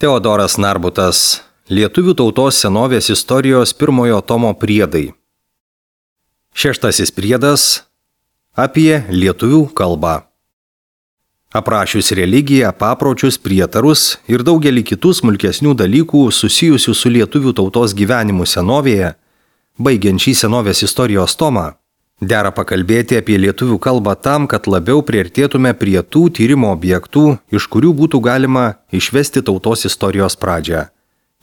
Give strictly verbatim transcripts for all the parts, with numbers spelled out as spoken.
Teodoras Narbutas. Lietuvių tautos senovės istorijos pirmojo tomo priedai. Šeštasis priedas apie lietuvių kalbą. Aprašius religiją, papročius, prietarus ir daugelį kitų smulkesnių dalykų susijusių su lietuvių tautos gyvenimu senovėje, baigiant šį senovės istorijos tomą, dera pakalbėti apie lietuvių kalbą tam, kad labiau priartėtume prie tų tyrimo objektų, iš kurių būtų galima išvesti tautos istorijos pradžią.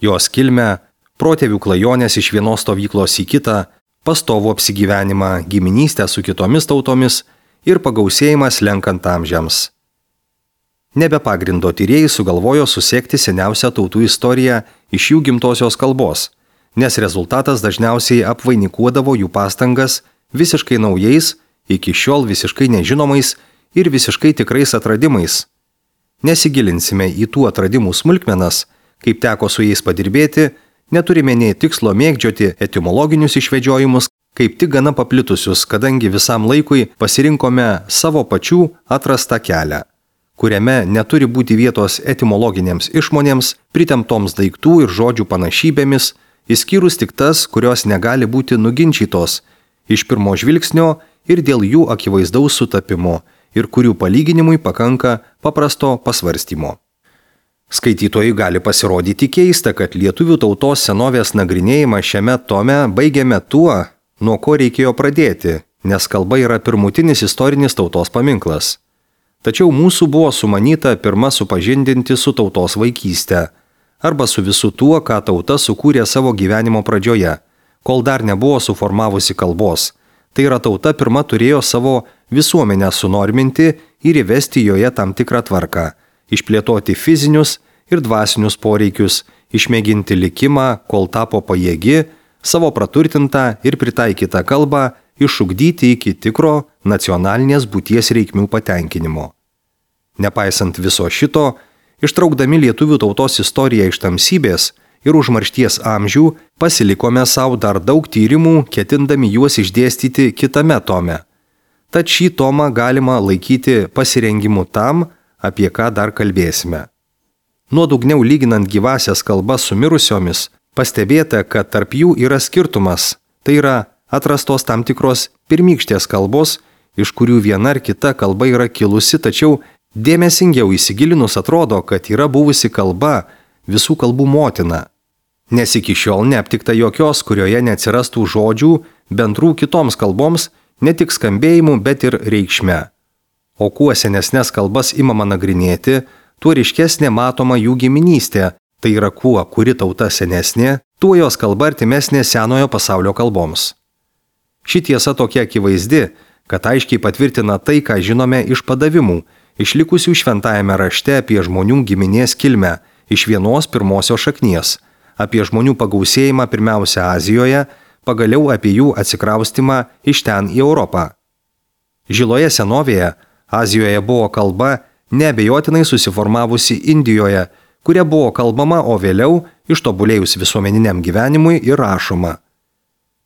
Jos kilmę, protėvių klajonės iš vienos stovyklos į kitą, pastovų apsigyvenimą, giminystę su kitomis tautomis ir pagausėjimas lenkant amžiams. Nebe pagrindo tyrėjai sugalvojo susekti seniausią tautų istoriją iš jų gimtosios kalbos, nes rezultatas dažniausiai apvainikuodavo jų pastangas visiškai naujais, iki šiol visiškai nežinomais ir visiškai tikrais atradimais. Nesigilinsime į tų atradimų smulkmenas, kaip teko su jais padirbėti, neturime nei tikslo mėgdžioti etimologinius išvedžiojimus, kaip tik gana paplitusius, kadangi visam laikui pasirinkome savo pačių atrastą kelią, kuriame neturi būti vietos etimologinėms išmonėms, pritemptoms daiktų ir žodžių panašybėmis, išskyrus tik tas, kurios negali būti nuginčytos iš pirmo žvilgsnio ir dėl jų akivaizdaus sutapimo ir kurių palyginimui pakanka paprasto pasvarstymo. Skaitytojui gali pasirodyti keista, kad lietuvių tautos senovės nagrinėjimą šiame tome baigiame tuo, nuo ko reikėjo pradėti, nes kalba yra pirmutinis istorinis tautos paminklas. Tačiau mūsų buvo sumanyta pirma supažindinti su tautos vaikyste, arba su visu tuo, ką tauta sukūrė savo gyvenimo pradžioje, kol dar nebuvo suformavusi kalbos. Tai yra tauta pirma turėjo savo visuomenę sunorminti ir įvesti joje tam tikrą tvarką, išplėtoti fizinius ir dvasinius poreikius, išmėginti likimą, kol tapo pajėgi, savo praturtintą ir pritaikytą kalbą išugdyti iki tikro nacionalinės būties reikmių patenkinimo. Nepaisant viso šito, ištraukdami lietuvių tautos istoriją iš tamsybės ir užmaršties amžių, pasilikome savo dar daug tyrimų, ketindami juos išdėstyti kitame tome. Tad šį tomą galima laikyti pasirengimu tam, apie ką dar kalbėsime. Nuodugniau lyginant gyvasias kalbas su mirusiomis, pastebėta, kad tarp jų yra skirtumas, tai yra atrastos tam tikros pirmykštės kalbos, iš kurių viena ar kita kalba yra kilusi, tačiau dėmesingiau įsigilinus atrodo, kad yra buvusi kalba visų kalbų motina, nes iki šiol neaptikta jokios, kurioje neatsirastų žodžių bendrų kitoms kalboms, ne tik skambėjimu, bet ir reikšme. O kuo senesnes kalbas imama nagrinėti, tuo ryškesnė matoma jų giminystė, tai yra kuo kuri tauta senesnė, tuo jos kalba artimesnė senojo pasaulio kalboms. Ši tiesa tokia akivaizdi, kad aiškiai patvirtina tai, ką žinome iš padavimų, išlikusių šventajame rašte apie žmonių giminės kilmę iš vienos pirmosios šaknies, apie žmonių pagausėjimą pirmiausia Azijoje, pagaliau apie jų atsikraustimą iš ten į Europą. Žiloje senovėje Azijoje buvo kalba neabejotinai susiformavusi Indijoje, kuria buvo kalbama, o vėliau ištobulėjus visuomeniniam gyvenimui ir rašoma.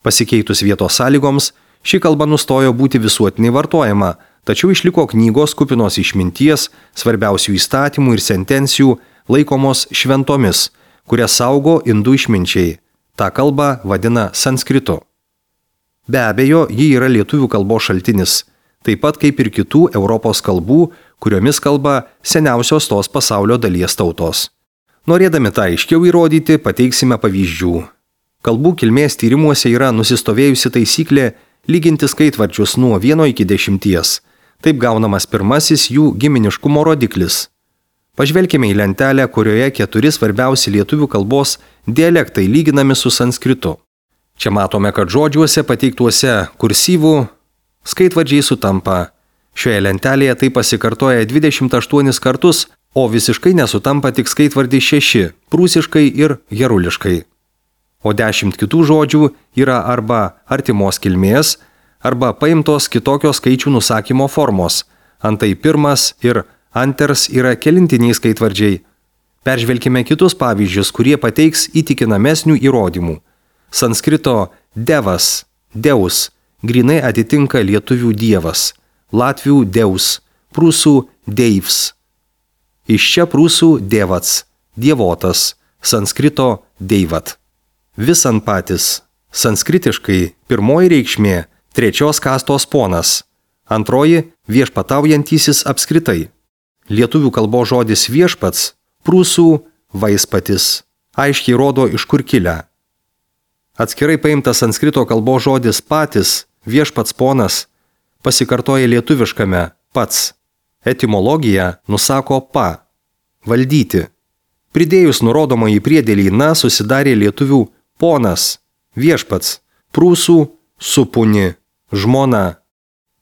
Pasikeitus vietos sąlygoms, ši kalba nustojo būti visuotinai vartojama, tačiau išliko knygos kupinos išminties, svarbiausių įstatymų ir sentencijų, laikomos šventomis, kurias saugo indų išminčiai. Ta kalba vadina sanskritu. Be abejo, ji yra lietuvių kalbos šaltinis, taip pat kaip ir kitų Europos kalbų, kuriomis kalba seniausios tos pasaulio dalies tautos. Norėdami tą aiškiau įrodyti, pateiksime pavyzdžių. Kalbų kilmės tyrimuose yra nusistovėjusi taisyklė lyginti skaitvardžius nuo vieno iki dešimties. Taip gaunamas pirmasis jų giminiškumo rodiklis. Pažvelkime į lentelę, kurioje keturi svarbiausi lietuvių kalbos dialektai lyginami su sanskritu. Čia matome, kad žodžiuose pateiktuose kursyvų skaitvardžiai sutampa. Šioje lentelėje tai pasikartoja dvidešimt aštuonis kartus, o visiškai nesutampa tik skaitvardį šeši, prūsiškai ir heruliškai. O dešimt kitų žodžių yra arba artimos kilmės, arba paimtos kitokios skaičių nusakymo formos. Antai pirmas ir anters yra kelintiniai skaitvardžiai. Peržvelkime kitus pavyzdžius, kurie pateiks įtikinamesnių įrodymų. Sanskrito devas, deus, grinai atitinka lietuvių dievas, latvių deus, prūsų deivs. Iš čia prūsų dievats, dievotas, sanskrito deivat. Visanpatis, sanskritiškai pirmoji reikšmė trečios kastos ponas, antroji viešpataujantysis apskritai. Lietuvių kalbos žodis viešpats, prūsų vaispatis, aiškiai rodo iš kur kilę. Atskirai paimtas sanskrito kalbos žodis patis, viešpats ponas, pasikartoja lietuviškame pats. Etimologija nusako pa, valdyti. Pridėjus nurodomąjį priedėlį na susidarė lietuvių ponas, viešpats, prūsų supuni, žmona.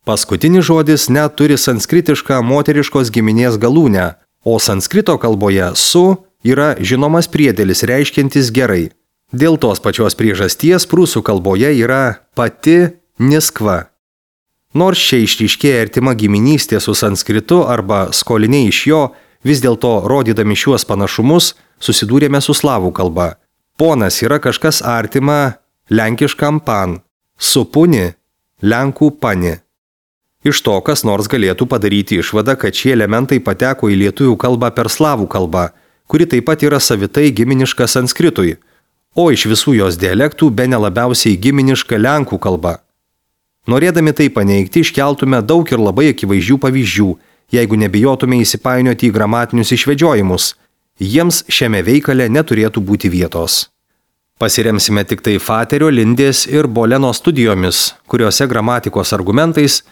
Paskutinis žodis net turi sanskritišką moteriškos giminės galūnę, o sanskrito kalboje su yra žinomas priedėlis reiškiantis gerai. Dėl tos pačios priežasties prūsų kalboje yra pati niskva. Nors čia išryškėja artima giminystė su sanskritu arba skoliniai iš jo, vis dėlto rodydami šiuos panašumus susidūrėme su slavų kalba. Ponas yra kažkas artima lenkiškam pan, supuni lenkų pani. Iš to kas nors galėtų padaryti išvadą, kad šie elementai pateko į lietuvių kalbą per slavų kalbą, kuri taip pat yra savitai giminiška sanskritui, o iš visų jos dialektų bene labiausiai giminiška lenkų kalba. Norėdami tai paneigti, iškeltume daug ir labai akivaizdžių pavyzdžių, jeigu nebijotume įsipainioti į gramatinius išvedžiojimus. Jiems šiame veikale neturėtų būti vietos. Pasiremsime tik tai Faterio, Lindės ir Boleno studijomis, kuriuose gramatikos argumentais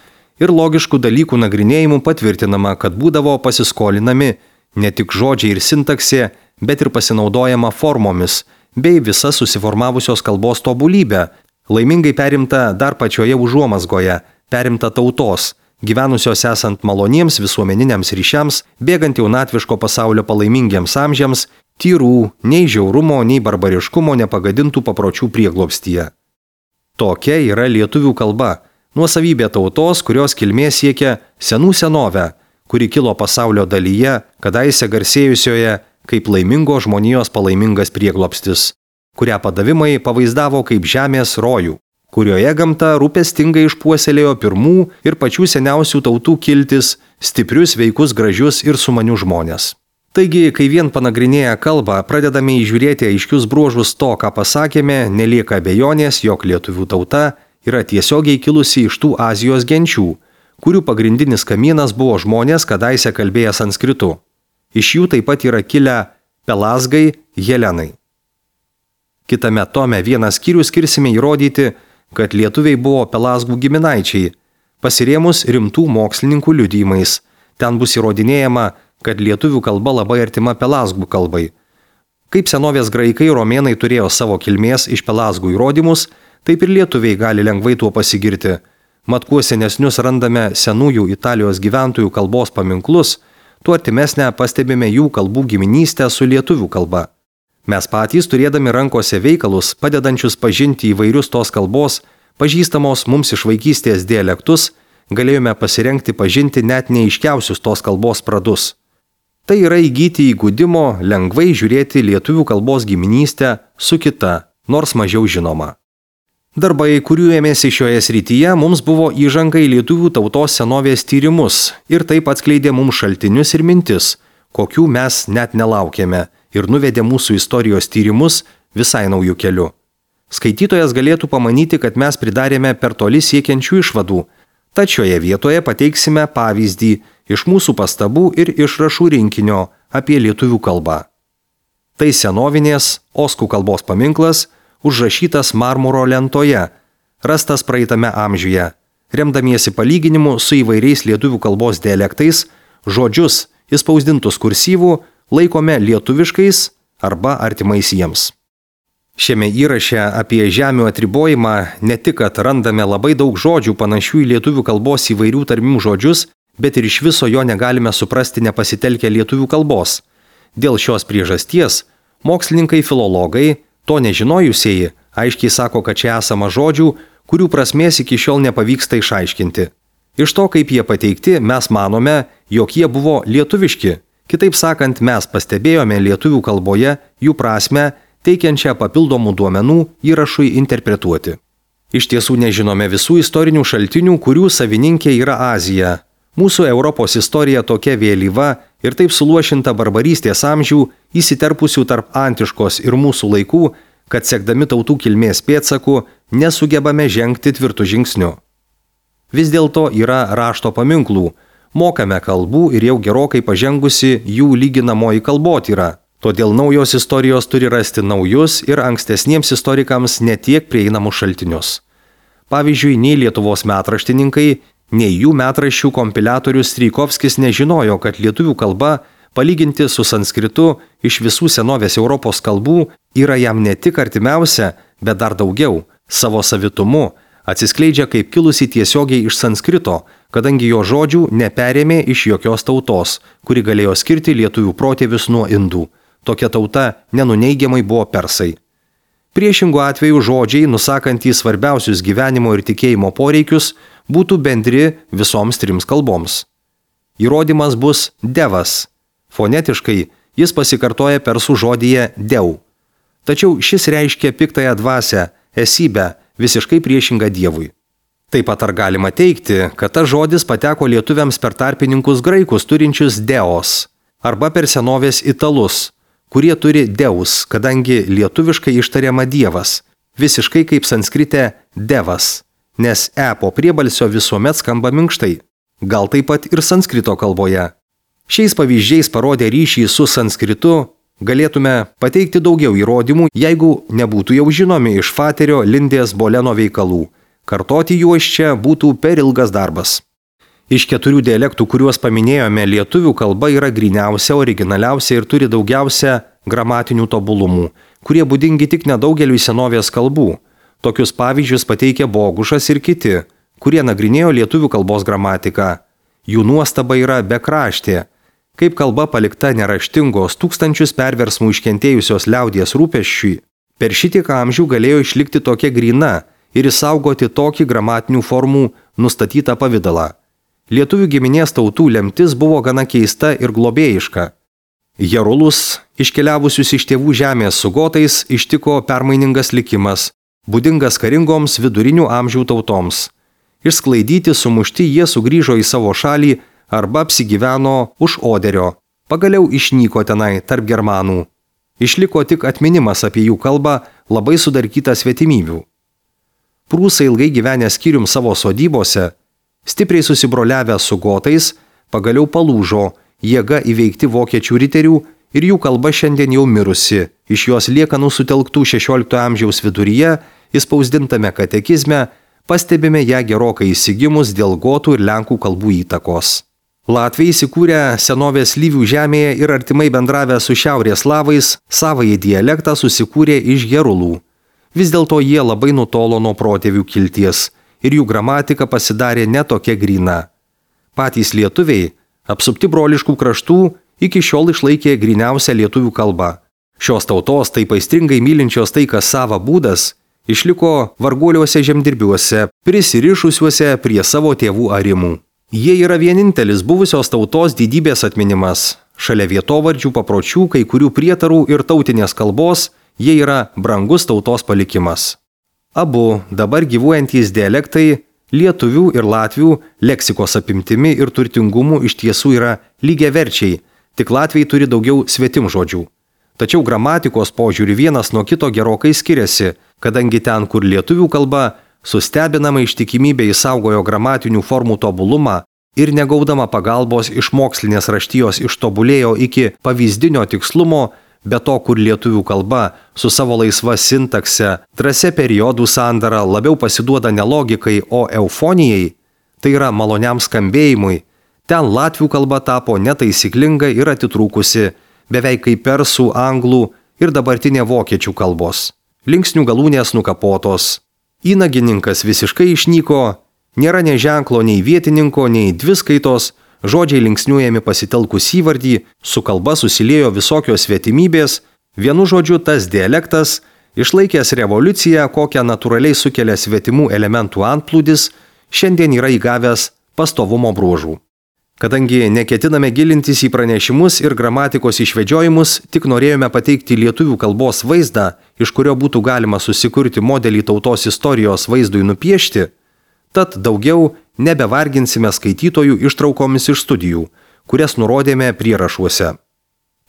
ir logiškų dalykų nagrinėjimų patvirtinama, kad būdavo pasiskolinami ne tik žodžiai ir sintaksė, bet ir pasinaudojama formomis, bei visa susiformavusios kalbos tobulybė, laimingai perimta dar pačioje užuomazgoje, perimta tautos, gyvenusios esant maloniems visuomeniniams ryšiams, bėgant jaunatviško pasaulio palaimingiems amžiams, tyrų, nei žiaurumo, nei barbariškumo nepagadintų papročių prieglobstyje. Tokia yra lietuvių kalba, nuosavybė tautos, kurios kilmė siekia senų senovę, kuri kilo pasaulio dalyje, kadaise garsėjusioje kaip laimingo žmonijos palaimingas prieglobstis, kurią padavimai pavaizdavo kaip žemės rojų, kurioje gamta rūpestingai išpuoselėjo pirmų ir pačių seniausių tautų kiltis, stiprius, veikus, gražius ir sumanius žmonės. Taigi, kai vien panagrinėję kalbą pradedame įžiūrėti aiškius bruožus to, ką pasakėme, nelieka abejonės, jog lietuvių tauta yra tiesiogiai kilusi iš tų Azijos genčių, kurių pagrindinis kamienas buvo žmonės kadaise kalbėję sanskritu. Iš jų taip pat yra kilę pelazgai, helenai. Kitame tome vieną skyrių skirsime įrodyti, kad lietuviai buvo pelazgų giminaičiai, pasirėmus rimtų mokslininkų liudijimais. Ten bus įrodinėjama, kad lietuvių kalba labai artima pelazgų kalbai. Kaip senovės graikai romėnai turėjo savo kilmės iš pelazgų įrodymus, taip ir lietuviai gali lengvai tuo pasigirti. Mat kuo senesnius randame senųjų Italijos gyventojų kalbos paminklus, tuo artimesnę pastebime jų kalbų giminystę su lietuvių kalba. Mes patys, turėdami rankose veikalus, padedančius pažinti įvairius tos kalbos, pažįstamos mums iš vaikystės dialektus, galėjome pasirengti pažinti net neaiškiausius tos kalbos pradus. Tai yra įgyti įgudimo lengvai žiūrėti lietuvių kalbos giminystę su kita, nors mažiau žinoma. Darbai, kurių ėmėsi šioje srityje, mums buvo įžanga į lietuvių tautos senovės tyrimus ir taip atskleidė mums šaltinius ir mintis, kokių mes net nelaukėme, ir nuvedė mūsų istorijos tyrimus visai naujų kelių. Skaitytojas galėtų pamanyti, kad mes pridarėme per toli siekiančių išvadų, tačiau šioje vietoje pateiksime pavyzdį iš mūsų pastabų ir išrašų rinkinio apie lietuvių kalbą. Tai senovinės oskų kalbos paminklas, užrašytas marmuro lentoje, rastas praeitame amžiuje, remdamiesi palyginimu su įvairiais lietuvių kalbos dialektais, žodžius įspausdintus kursyvų laikome lietuviškais arba artimais jiems. Šiame įraše apie žemių atribojimą ne tik kad randame labai daug žodžių panašių į lietuvių kalbos įvairių tarmių žodžius, bet ir iš viso jo negalime suprasti nepasitelkę lietuvių kalbos. Dėl šios priežasties mokslininkai filologai, to nežinojusieji, aiškiai sako, kad čia esama žodžių, kurių prasmės iki šiol nepavyksta išaiškinti. Iš to, kaip jie pateikti, mes manome, jog jie buvo lietuviški. Kitaip sakant, mes pastebėjome lietuvių kalboje jų prasmę, teikiančią papildomų duomenų įrašui interpretuoti. Iš tiesų nežinome visų istorinių šaltinių, kurių savininkė yra Azija. Mūsų Europos istorija tokia vėlyva ir taip suluošinta barbarystės amžių, įsiterpusių tarp antiškos ir mūsų laikų, kad sekdami tautų kilmės pėdsakų nesugebame žengti tvirtų žingsnių. Vis dėlto yra rašto paminklų, mokame kalbų ir jau gerokai pažengusi jų lyginamoji kalbotyra. Todėl naujos istorijos turi rasti naujus ir ankstesniems istorikams netiek prieinamus šaltinius. Pavyzdžiui, nei Lietuvos metraštininkai, nei jų metraščių kompiliatorius Strijkovskis nežinojo, kad lietuvių kalba, palyginti su sanskritu iš visų senovės Europos kalbų, yra jam ne tik artimiausia, bet dar daugiau, savo savitumu, atsiskleidžia kaip kilusi tiesiogiai iš sanskrito, kadangi jo žodžių neperėmė iš jokios tautos, kuri galėjo skirti lietuvių protėvius nuo indų. Tokia tauta nenuneigiamai buvo persai. Priešingų atveju žodžiai, nusakantys svarbiausius gyvenimo ir tikėjimo poreikius, būtų bendri visoms trims kalboms. Įrodymas bus devas. Fonetiškai jis pasikartoja persų žodyje deu. Tačiau šis reiškia piktąją dvasią, esybę, visiškai priešingą Dievui. Taip pat ar galima teigti, kad tas žodis pateko lietuviams per tarpininkus graikus turinčius deos, arba per senovės italus, kurie turi deus, kadangi lietuviškai ištariama Dievas, visiškai kaip sanskrite devas, nes e po priebalsio visuomet skamba minkštai, gal taip pat ir sanskrito kalboje. Šiais pavyzdžiais parodę ryšį su sanskritu, galėtume pateikti daugiau įrodymų, jeigu nebūtų jau žinomi iš Faterio Lindės Boleno veikalų. Kartoti juos čia būtų per ilgas darbas. Iš keturių dialektų, kuriuos paminėjome, lietuvių kalba yra gryniausia, originaliausia ir turi daugiausia gramatinių tobulumų, kurie būdingi tik nedaugeliui senovės kalbų. Tokius pavyzdžius pateikia Bogušas ir kiti, kurie nagrinėjo lietuvių kalbos gramatiką. Jų nuostaba yra bekraštė. Kaip kalba palikta neraštingos tūkstančius perversmų iškentėjusios liaudies rūpesčiui, per šitiek amžių galėjo išlikti tokia gryna ir išsaugoti tokį gramatinių formų nustatytą pavidalą. Lietuvių giminės tautų lemtis buvo gana keista ir globėjiška. Jerulus, iškeliavusius iš tėvų žemės su gotais, ištiko permainingas likimas, būdingas karingoms vidurinių amžių tautoms. Išsklaidyti, sumušti jie sugrįžo į savo šalį arba apsigyveno už Oderio, pagaliau išnyko tenai tarp germanų. Išliko tik atminimas apie jų kalbą, labai sudarkyta svetimybių. Prūsai ilgai gyvenę skyrium savo sodybose, stipriai susibroliavę su gotais, pagaliau palūžo, jėga įveikti vokiečių riterių ir jų kalba šiandien jau mirusi, iš jos liekanų sutelktų šešioliktojo amžiaus viduryje, įspausdintame katekizme, pastebime ją gerokai įsigimus dėl gotų ir lenkų kalbų įtakos. Latviai įsikūrę senovės Lyvių žemėje ir artimai bendravę su šiaurės slavais, savąjį dialektą susikūrė iš gerulų. Vis dėlto jie labai nutolo nuo protėvių kilties ir jų gramatika pasidarė netokia gryna. Patys lietuviai, apsupti broliškų kraštų, iki šiol išlaikė gryniausią lietuvių kalbą. Šios tautos taip aistringai mylinčios tai, kas sava būdas, išliko varguoliuose žemdirbiuose, prisirišusiuose prie savo tėvų arimų. Jie yra vienintelis buvusios tautos didybės atminimas. Šalia vietovardžių, papročių, kai kurių prietarų ir tautinės kalbos, jie yra brangus tautos palikimas. Abu dabar gyvuojantys dialektai, lietuvių ir latvių, leksikos apimtimi ir turtingumu iš tiesų yra lygiaverčiai, tik latviai turi daugiau svetimžodžių. Tačiau gramatikos požiūrį vienas nuo kito gerokai skiriasi, kadangi ten, kur lietuvių kalba, sustebinama ištikimybė įsaugojo gramatinių formų tobulumą ir negaudama pagalbos iš mokslinės raštijos ištobulėjo iki pavyzdinio tikslumo, be to, kur lietuvių kalba su savo laisva sintakse, drąsia periodų sandara labiau pasiduoda ne logikai, o eufonijai, tai yra maloniam skambėjimui, ten latvių kalba tapo netaisyklinga ir atitrūkusi, beveik kaip persų, anglų ir dabartinė vokiečių kalbos. Linksnių galūnės nukapotos. Įnagininkas visiškai išnyko, nėra nei ženklo, nei vietininko, nei dviskaitos, žodžiai linksniuojami pasitelkus įvardį, su kalba susiliejo visokios svetimybės, vienu žodžiu tas dialektas, išlaikęs revoliuciją, kokią natūraliai sukelia svetimų elementų antplūdis, šiandien yra įgavęs pastovumo bruožų. Kadangi neketiname gilintis į pranešimus ir gramatikos išvedžiojimus, tik norėjome pateikti lietuvių kalbos vaizdą, iš kurio būtų galima susikurti modelį tautos istorijos vaizdui nupiešti, Tad daugiau nebevarginsime skaitytojų ištraukomis iš studijų, kurias nurodėme prierašuose.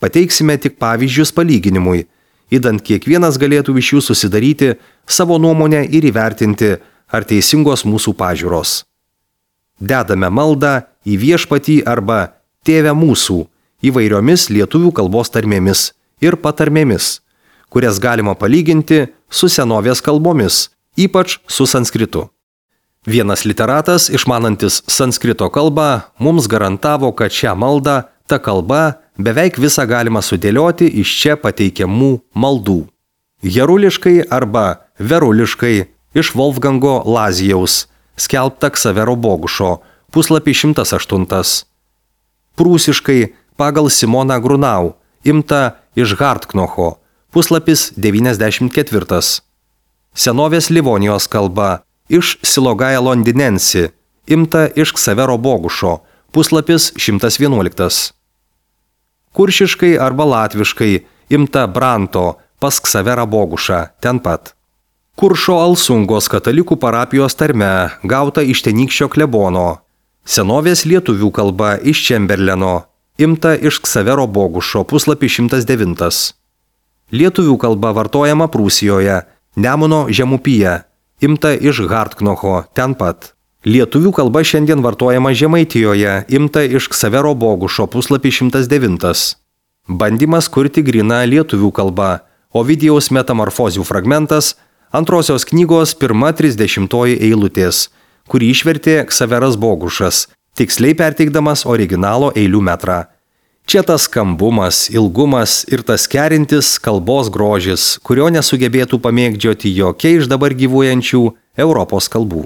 Pateiksime tik pavyzdžius palyginimui, idant kiekvienas galėtų iš jų susidaryti savo nuomonę ir įvertinti, ar teisingos mūsų pažiūros. Dedame maldą į Viešpatį arba Tėve mūsų įvairiomis lietuvių kalbos tarmėmis ir patarmėmis, kurias galima palyginti su senovės kalbomis, ypač su sanskritu. Vienas literatas, išmanantis sanskrito kalbą, mums garantavo, kad šią maldą, ta kalba, beveik visą galima sudėlioti iš čia pateikiamų maldų. Jeruliškai arba veruliškai iš Wolfgango Lazijaus, skelbta Ksavero Bogušo, puslapį šimtas aštuntas. Prūsiškai pagal Simoną Grunau, imta iš Hartknocho, puslapis devyniasdešimt ketvirtas. Senovės Livonijos kalba iš Silogaja Londinensi, imta iš Ksavero Bogušo, puslapis šimtas vienuoliktas. Kuršiškai arba latviškai imta Branto pas Ksaverą Bogušą, ten pat. Kuršo Alsungos katalikų parapijos tarme, gauta iš tenykščio klebono. Senovės lietuvių kalba iš Čemberleno, imta iš Ksavero Bogušo, puslapį šimtas devintas. Lietuvių kalba vartojama Prūsijoje, Nemuno žemupyje, imta iš Hartknocho, ten pat. Lietuvių kalba šiandien vartojama Žemaitijoje, imta iš Ksavero Bogušo, puslapį šimtas devintas. Bandymas kurti gryną lietuvių kalbą, Ovidijaus metamorfozių fragmentas, antrosios knygos pirma trisdešimtoji eilutės, kurį išvertė Ksaveras Bogušas, tiksliai perteikdamas originalo eilių metrą. Čia tas skambumas, ilgumas ir tas kerintis kalbos grožis, kurio nesugebėtų pamėgdžioti jokia iš dabar gyvuojančių Europos kalbų.